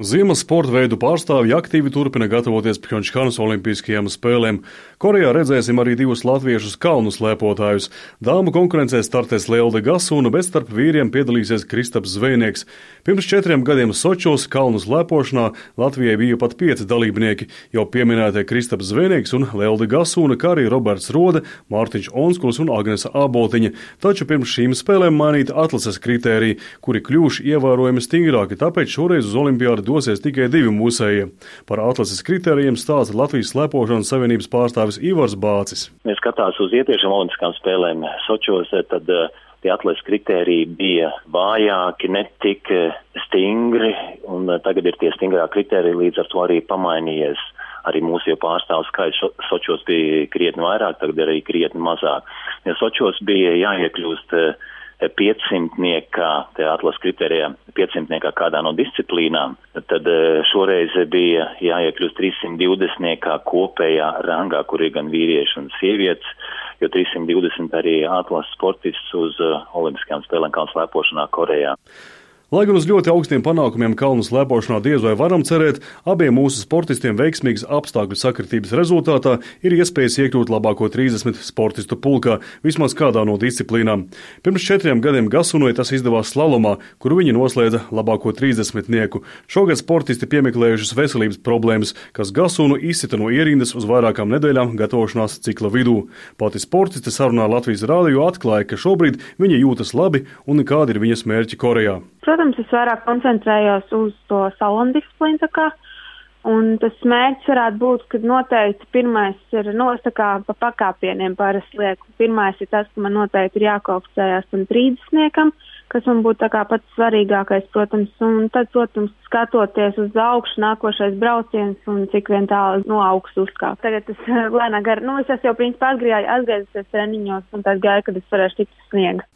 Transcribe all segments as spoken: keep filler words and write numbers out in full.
Ziemas sporta veidu pārstāvji aktīvi turpina gatavoties Pjongčhanas olimpiskajām spēlēm. Korejā redzēsim arī divus latviešus kalnu slēpotājus. Dāmu konkurencē startēs Lelde Gasūna, bet starp vīriem piedalīsies Kristaps Zvejnieks. Pirms četriem gadiem Sočos kalnu slēpošanā Latvijai bija pat pieci dalībnieki. Jau pieminētie Kristaps Zvejnieks un Lelde Gasūna, kā arī Roberts Rode, Mārtiņš Onskuls un Agnese Āboltiņa. Taču pirms šīm spēlēm mainīta atlases kritēriji, kuri kļuvuši ievērojami stingrāki, tāpēc šoreiz uz olimpiādu dosies tikai divi mūsējie. Par atlases kritērijiem stāsta Latvijas slēpošanas savienības pārstāvis Ivars Bācis. Ja skatās uz iepriekšējām olimpiskām spēlēm Sočos, tad tie atlases kritēriji bija vājāki, netik stingri, un tagad ir tie stingrāki kritēriji, līdz ar to arī pamainījies. Arī mūsu pārstāvu skaits Sočos bija krietni vairāk, tagad arī krietni mazāk. Ja Sočos bija jāiekļūst piecsimtniekā, te atlases kritērijā, piecsimtniekā kādā no disciplīnām, tad šoreiz bija jāiekļūst trīssimt divdesmitniekā kopējā rangā, kur ir gan vīrieši un sievietes, jo trīssimt divdesmit arī atlases sportists uz olimpiskajām spēlēm kalnu slēpošanā Korejā. Lai gan uz ļoti augstiem panākumiem kalnu slēpošanā diez vai varam cerēt, abiem mūsu sportistiem veiksmīgas apstākļu sakritības rezultātā ir iespējas iekļūt labāko trīsdesmit sportistu pulkā, vismaz kādā no disciplīnām. Pirms četriem gadiem Gasunai tas izdevās slalomā, kur viņi noslēdza labāko trīsdesmitnieku. Šogad sportisti piemeklējušas veselības problēmas, kas Gasunu izsita no ierindas uz vairākām nedēļām gatavošanās cikla vidū. Pati sportiste sarunā Latvijas rādio atklāja, ka šobrīd viņa jūtas labi un kādi ir viņas mērķi Korejā. Protams, es vairāk koncentrējos uz to salonu disciplīnu, tā kā, un tas mērķis varētu būt, ka noteikti pirmais ir, no, tā kā pa pakāpieniem parasti lieku. Pirmais ir tas, ka man noteikti ir jākauksējās tam trīsdesmitniekam, kas man būtu tā kā pats svarīgākais, protams, un tad, protams, skatoties uz augšu, nākošais brauciens un cik vien tālu no augstu uzkāpt. Tagad es lēnā gar, nu, es esmu jau principā atgriezusies treniņos, un tad gāju, kad es varēšu tikt uz sniega.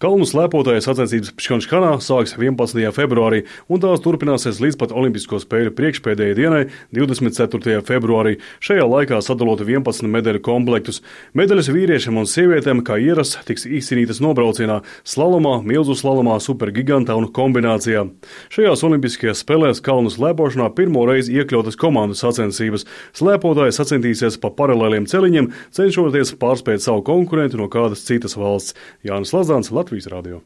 Kalnu slēpotāju sacensības Pjongčhanā sāks vienpadsmitajā februārī, un tās turpināsies līdz pat Olimpisko spēļu priekšpēdējai dienai, divdesmit ceturtajā februārī. Šajā laikā sadalota vienpadsmit medaļu komplektus. Medaļas vīriešiem un sievietēm, kā ierasts, tiks izcīnītas nobraucienā, slalomā, milzu slalomā, supergigantā un kombinācijā. Šajās olimpiskajās spēlēs kalnu slēpošanā pirmo reizi iekļautas komandu sacensības. Slēpotāji sacensties pa paralēliem celiņiem, cenšoties pārspēt savu konkurentu no kādas citas valsts. Jānis Lazāns, Latvijas radio.